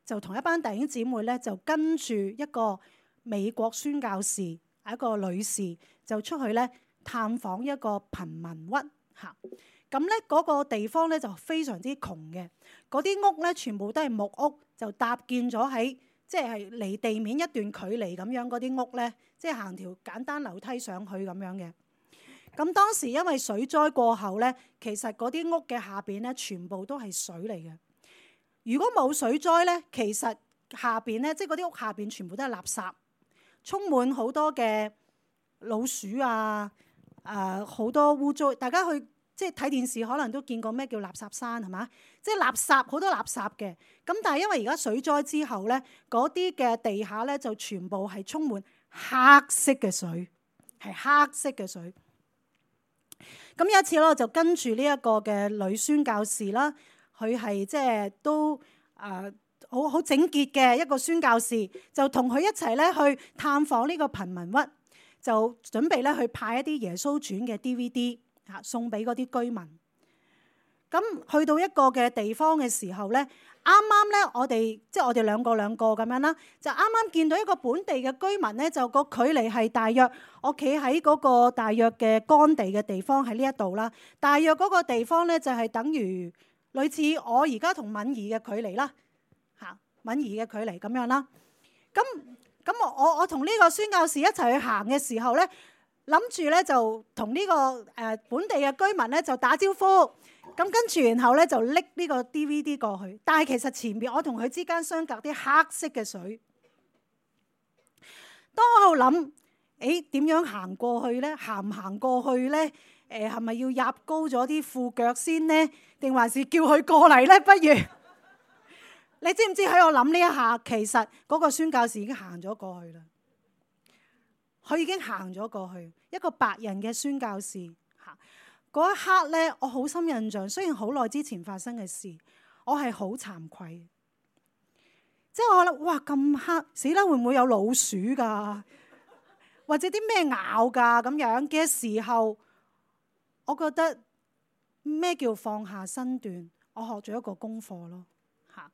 就同一班弟兄姊妹咧，就跟住一個美國宣教士，係一個女士，就出去咧探訪一個貧民窟嚇。咁咧嗰個地方咧就非常之窮嘅，嗰啲屋咧全部都係木屋，就搭建咗喺即係離地面一段距離咁樣。嗰啲屋咧即係行條簡單樓梯上去咁樣嘅。咁當時因為水災過後咧，其實嗰啲屋嘅下邊咧全部都係水嚟嘅。如果冇水災咧，其實下邊咧即係嗰啲屋下邊全部都係垃圾，充滿好多嘅老鼠啊，好多污糟。大家去即係睇電視可能都見過咩叫垃圾山係嘛？即係垃圾好多垃圾嘅。咁但係因為而家水災之後咧，嗰啲嘅地下咧就全部係充滿黑色嘅水，係黑色嘅水。咁有一次咧，我就跟住呢一個嘅女宣教士啦，佢係即係都好整潔嘅一個宣教士，就同佢一齊咧去探訪呢個貧民窟，就準備咧去派一啲耶穌傳嘅 DVD。送俾嗰啲居民。咁去到一個嘅地方嘅時候咧，啱啱咧我哋即係我哋兩個咁樣啦，就啱啱見到一個本地嘅居民咧，就個距離係大約我企喺嗰個大約嘅乾地嘅地方喺呢一度啦。大約嗰個地方咧就係等於類似我而家同敏儀嘅距離啦，嚇敏儀嘅距離咁樣啦。咁我同呢個宣教士一齊去行嘅時候咧，諗住咧就同呢個本地嘅居民咧就打招呼，咁跟住然後咧就拎呢個 DVD 過去，但係其實前面我同佢之間相隔啲黑色嘅水。當我喺度諗，點樣行過去咧？行唔行過去咧？係咪要入高咗啲褲腳先呢？定還是叫佢過嚟咧？不如你知唔知喺我諗呢一下，其實嗰個宣教士已經行咗過去啦。佢已經行咗過去，一個白人嘅宣教士嚇。嗰一刻咧，我好深印象。雖然好耐之前發生嘅事，我係好慚愧。即係我諗，哇咁黑，死啦！會唔會有老鼠㗎？或者啲咩咬㗎咁樣嘅時候，我覺得咩叫放下身段？我學咗一個功課咯嚇。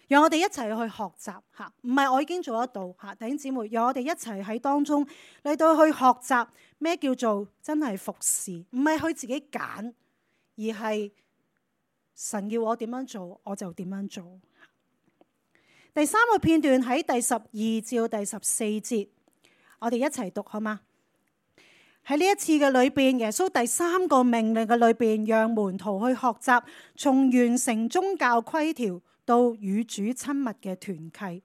讓我哋一齊去學習嚇，唔係我已經做得到嚇，弟兄姊妹，讓我哋一齊喺當中嚟到去學習咩叫做真係服侍，唔係去自己揀，而係神要我點樣做我就點樣做。弟第三個片段喺第12至到第14節，我哋一齊讀好嗎？喺呢一次嘅裏邊，耶穌第三個命令嘅裏邊，讓門徒去學習從完成宗教規條到與主親密嘅團契。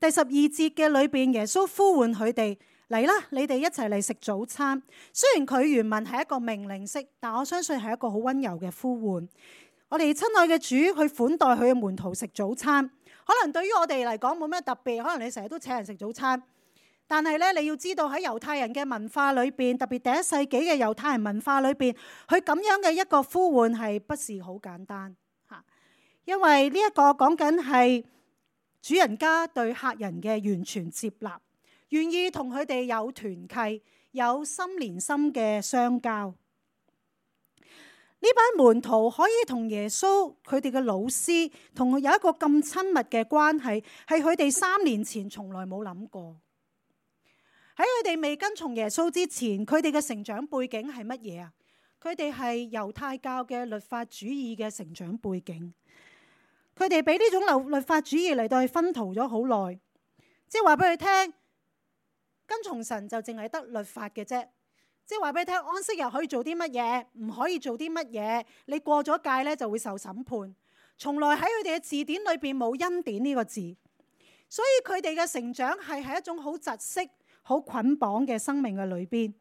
第12節嘅裏邊，耶穌呼喚佢哋嚟啦，你哋一齊嚟食早餐。雖然佢原文係一個命令式，但我相信係一個好溫柔嘅呼喚。我哋親愛嘅主去款待佢嘅門徒食早餐，可能對於我哋嚟講冇咩特別，可能你成日都請人食早餐。但係咧，你要知道喺猶太人嘅文化裏邊，特別第一世紀嘅猶太人文化裏邊，佢咁樣嘅一個呼喚係不是好簡單嚇，因為呢一個講緊係主人家對客人嘅完全接納，願意同佢哋有團契，有心連心嘅相交。呢班門徒可以同耶穌佢哋嘅老師同佢有一個咁親密嘅關係，係佢哋3年前從來冇諗過。喺佢哋未跟從耶穌之前，佢哋嘅成長背景係乜嘢啊？佢哋係猶太教嘅律法主義嘅成長背景。佢哋俾呢種律法主義嚟到去薰陶咗好耐，即係話俾佢聽，跟從神就淨係得律法嘅啫。即係話俾你聽，安息日可以做啲乜嘢，唔可以做啲乜嘢，你過咗界咧就會受審判。從來喺佢哋嘅字典裏邊冇恩典呢個字，所以佢哋嘅成長係喺一種好窒息、好捆綁嘅生命嘅裏邊。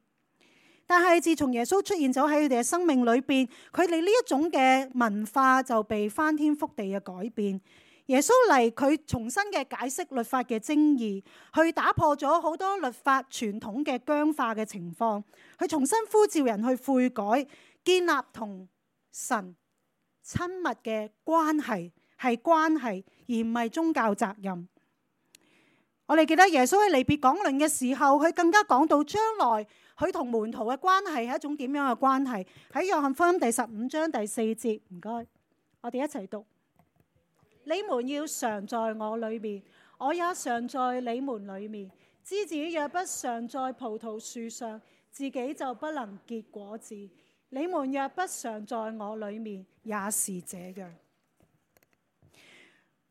但係自從耶穌出現咗喺佢哋嘅生命裏邊，佢哋呢一種嘅文化就被翻天覆地嘅改變。耶穌嚟，佢重新嘅解釋律法嘅精義，去打破咗好多律法傳統嘅僵化嘅情況，去重新呼召人去悔改，建立同神親密嘅關係，係關係而唔係宗教責任。我哋記得耶穌喺離別講論嘅時候，佢更加講到將來佢同門徒嘅關係係一種點樣嘅關係。喺約翰福音第15章第4節，唔該，我哋一齊讀。你們要常在我裏面，我也常在你們裏面。枝子若不常在葡萄樹上，自己就不能結果子。你們若不常在我裏面，也是這樣。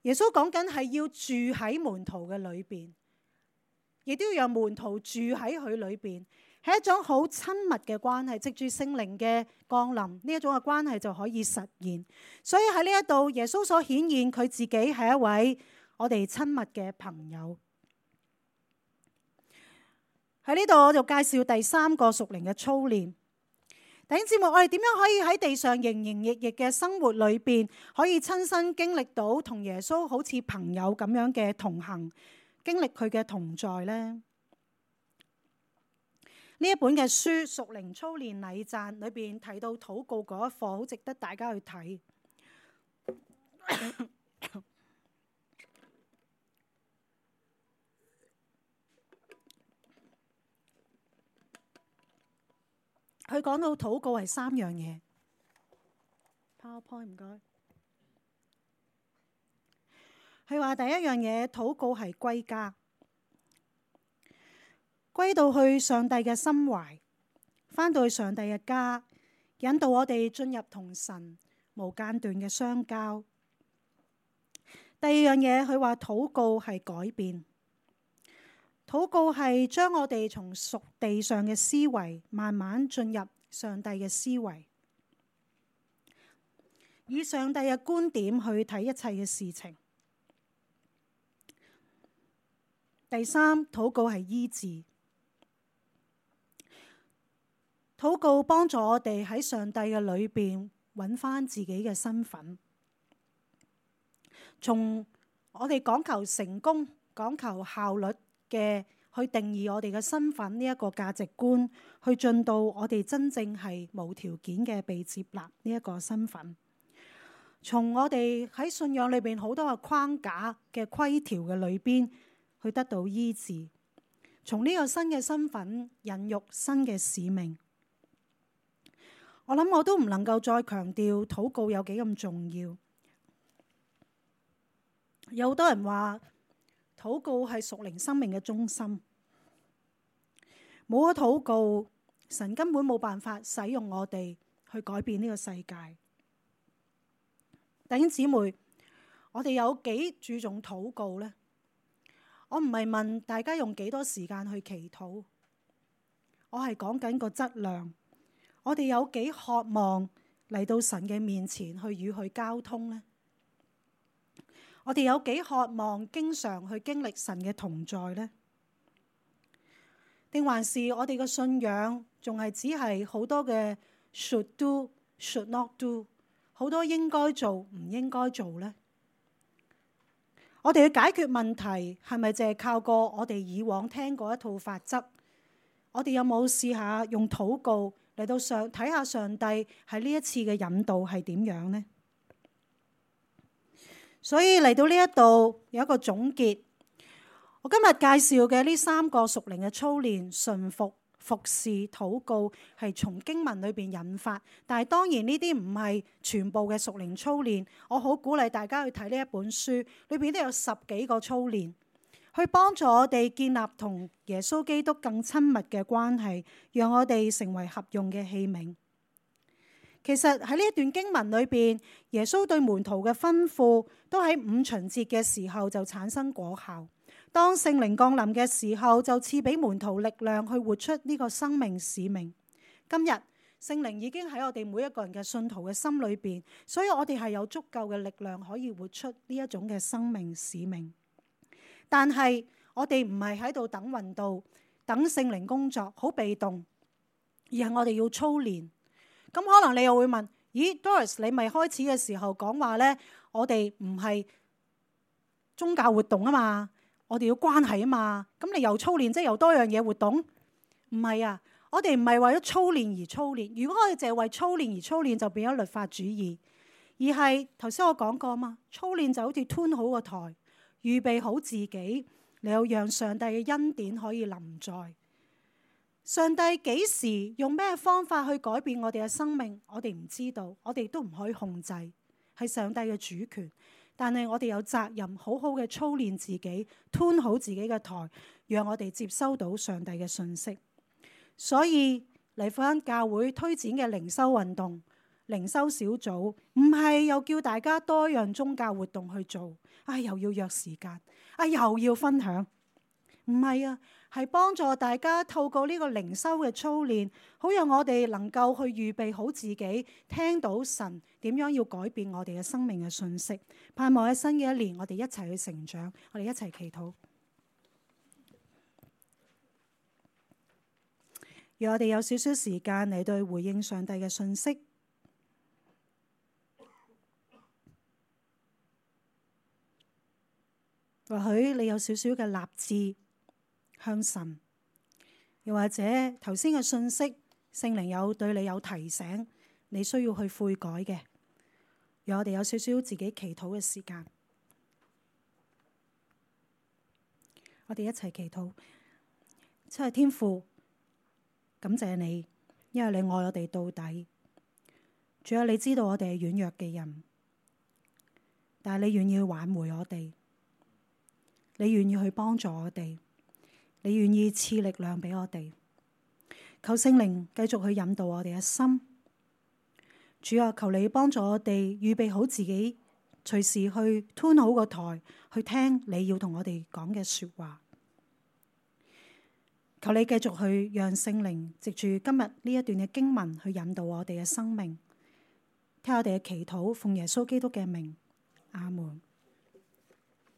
耶穌講緊係要住喺門徒嘅裏邊，亦都要讓門徒住喺佢裏邊，係一種好親密嘅關係。藉住聖靈嘅降臨，呢一種嘅關係就可以實現。所以喺呢一度，耶穌所顯現佢自己係一位我哋親密嘅朋友。喺呢度我就介紹第3個屬靈嘅操練。弟兄姊妹，我哋點樣可以喺地上營營役役嘅生活裏邊，可以親身經歷到同耶穌好似朋友咁樣嘅同行，經歷佢嘅同在呢？呢一本嘅書《屬靈操練禮讚》裏邊提到禱告嗰一課，好值得大家去睇。佢講到禱告係3樣嘢。PowerPoint 唔該。佢話第一樣嘢，禱告係歸家，歸到去上帝嘅心懷，返到去上帝嘅家，引導我哋進入同神無間斷嘅相交。第二樣嘢，佢話禱告係改變。禱告係將我哋從屬地上嘅思維慢慢進入上帝嘅思維，以上帝嘅觀點去睇一切嘅事情。第三，禱告係醫治。禱告幫助我哋喺上帝嘅裏邊揾返自己嘅身份，從我哋講求成功、講求效率嘅去定義我哋嘅身份呢一個價值觀，去進到我哋真正係無條件嘅被接納呢一個身份。從我哋喺信仰裏邊好多嘅框架嘅規條嘅裏邊去得到醫治，從呢個新嘅身份孕育新嘅使命。我諗我都唔能夠再強調禱告有幾咁重要。有好多人話禱告係屬靈生命嘅中心，冇咗禱告，神根本冇辦法使用我哋去改變呢個世界。弟兄姊妹，我哋有幾注重禱告呢？我唔係問大家用幾多時間去祈禱，我係講緊個質量。我哋有幾渴望嚟到神嘅面前去與佢交通呢？我哋有幾渴望經常去經歷神嘅同在呢？定還是我哋嘅信仰仲係只係好多嘅 should do should not do， 好多應該做唔應該做呢？我哋去解決問題係咪淨係靠過我哋以往聽過一套法則？我哋有冇試下用禱告嚟到睇下上帝喺呢一次嘅引導係點樣呢？所以嚟到呢一度有一個總結。我今日介紹嘅呢3個屬靈嘅操練，順服、服侍、禱告，係從經文裏邊引發。但係當然呢啲唔係全部嘅屬靈操練。我好鼓勵大家去睇呢一本書，裏邊都有10幾個操練，去幫助我哋建立同耶穌基督更親密嘅關係，讓我哋成為合用嘅器皿。其實喺呢一段經文裏邊，耶穌對門徒嘅吩咐都喺5旬節嘅時候就產生果效。當聖靈降臨嘅時候，就賜俾門徒力量去活出呢個生命使命。今日聖靈已經喺我哋每一個人嘅信徒嘅心裏邊，所以我哋係有足夠嘅力量可以活出呢一種嘅生命使命。但係我哋唔係喺度等運到，等聖靈工作，好被動，而係我哋要操練。咁可能你又會問：咦，Doris， 你咪開始嘅時候講話呢？我哋唔係宗教活動啊嘛，我哋要關係啊嘛。咁你又操練，即係又多樣嘢活動？唔係啊，我哋唔係為咗操練而操練。如果我哋淨係為操練而操練，就變咗律法主義。而係頭先我講過啊嘛，操練就好似吞好個台，預備好自己，你要讓上帝嘅恩典可以臨在。上帝幾時用咩方法去改變我哋嘅生命，我哋唔知道，我哋都唔可以控制，係上帝嘅主權。但係我哋有責任好好嘅操練自己，吞好自己嘅台，讓我哋接收到上帝嘅信息。所以嚟返教會推展嘅靈修運動、靈修小組，唔係又叫大家多樣宗教活動去做，又要約時間，又要分享，唔係啊。係幫助大家透過呢個靈修嘅操練，好讓我哋能夠去預備好自己，聽到神點樣要改變我哋嘅生命嘅信息。盼望喺新嘅一年，我哋一齊去成長，我哋一齊祈禱。讓我哋有少少時間嚟對回應上帝嘅信息。或許你有少少嘅立志向神，又或者頭先嘅信息，聖靈有對你有提醒，你需要去悔改嘅，讓我哋有少少自己祈禱嘅時間。我哋一齊祈禱。親愛的天父，感謝你，因為你愛我哋到底。主啊，你知道我哋係軟弱嘅人，但係你願意挽回我哋，你願意去幫助我哋。你願意賜力量俾我哋，求聖靈繼續去引導我哋嘅心。主啊，求你幫助我哋預備好自己，隨時去吞好個台，去聽你要同我哋講嘅說話。求你繼續去讓聖靈藉住今日呢一段嘅經文去引導我哋嘅生命。聽我哋嘅祈禱，奉耶穌基督嘅名，阿門。